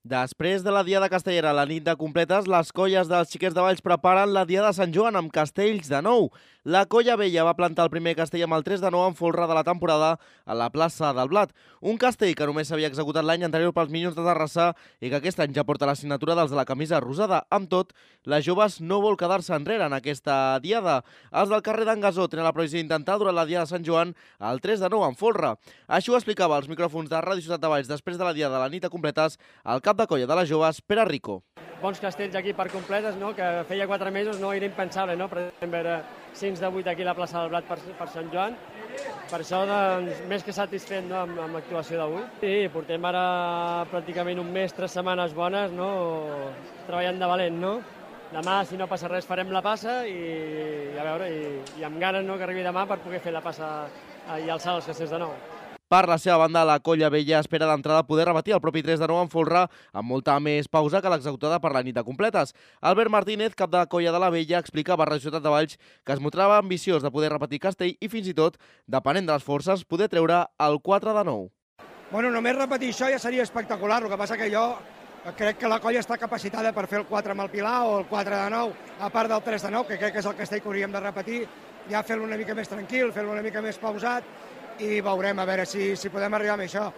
Després de la Diada Castellera, la nit de completes, les colles dels Xiquets de Valls preparen la Diada de Sant Joan amb castells de nou. La Colla Vella va plantar el primer castell amb el 3 de 9 en folre de la temporada a la plaça del Blat. Un castell que només s'havia executat l'any anterior pels Minyons de Terrassa i que aquest any ja porta la signatura dels de la camisa rosada. Amb tot, les joves no vol quedar-se enrere en aquesta Diada. Els del carrer d'en Gasó tenen la previsió d'intentar durant la Diada de Sant Joan el 3 de 9 en folre. Així ho explicava als micròfons de Ràdio Ciutat de Valls després de la Diada de la nit de completes el cap de colla de les joves, Pere Rico. Bons castells aquí per completes, no? Que feia 4 mesos no era impensable, no? Podem veure 5 de 8 aquí a la plaça del Blat per Sant Joan. Per això, doncs, més que satisfet, no? amb l'actuació d'avui. Sí, portem ara pràcticament un mes, 3 setmanes bones, no? Treballant de valent, no? Demà, si no passa res, farem la passa i a veure, i amb ganes, no?, que arribi demà per poder fer la passa i alçar els castells de nou. Per la seva banda, la Colla Vella espera d'entrada poder repetir el propi 3 de 9 en folre amb molta més pausa que l'executada per la nit de completes. Albert Martínez, cap de Colla de la Vella, explicava a Ràdio Ciutat de Valls que es mostrava ambiciós de poder repetir castell i fins i tot, depenent de les forces, poder treure el 4 de 9. Bueno, només repetir això ja seria espectacular, el que passa que jo crec que la colla està capacitada per fer el 4 amb el Pilar o el 4 de 9, a part del 3 de 9, que crec que és el castell que hauríem de repetir, ja fer-lo una mica més tranquil, fer-lo una mica més pausat, i veurem a veure si podem arribar amb això.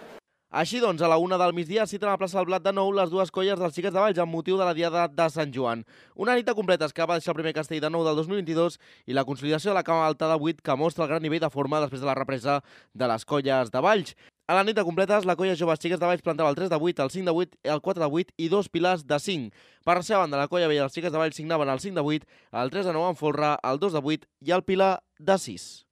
Així doncs, a la 1 del migdia es citen a la plaça del Blat de nou les dues colles dels Xiquets de Valls amb motiu de la Diada de Sant Joan. Una nit de completes que va deixar el primer castell de nou del 2022 i la consolidació de la cama alta de 8 que mostra el gran nivell de forma després de la represa de les colles de Valls. A la nit de completes, la colla joves Xiquets de Valls plantava el 3 de 8, el 5 de 8, el 4 de 8 i 2 pilars de 5. Per la seva banda, la colla vella dels Xiquets de Valls signaven el 5 de 8, el 3 de 9 en folre, el 2 de 8 i el pilar de 6.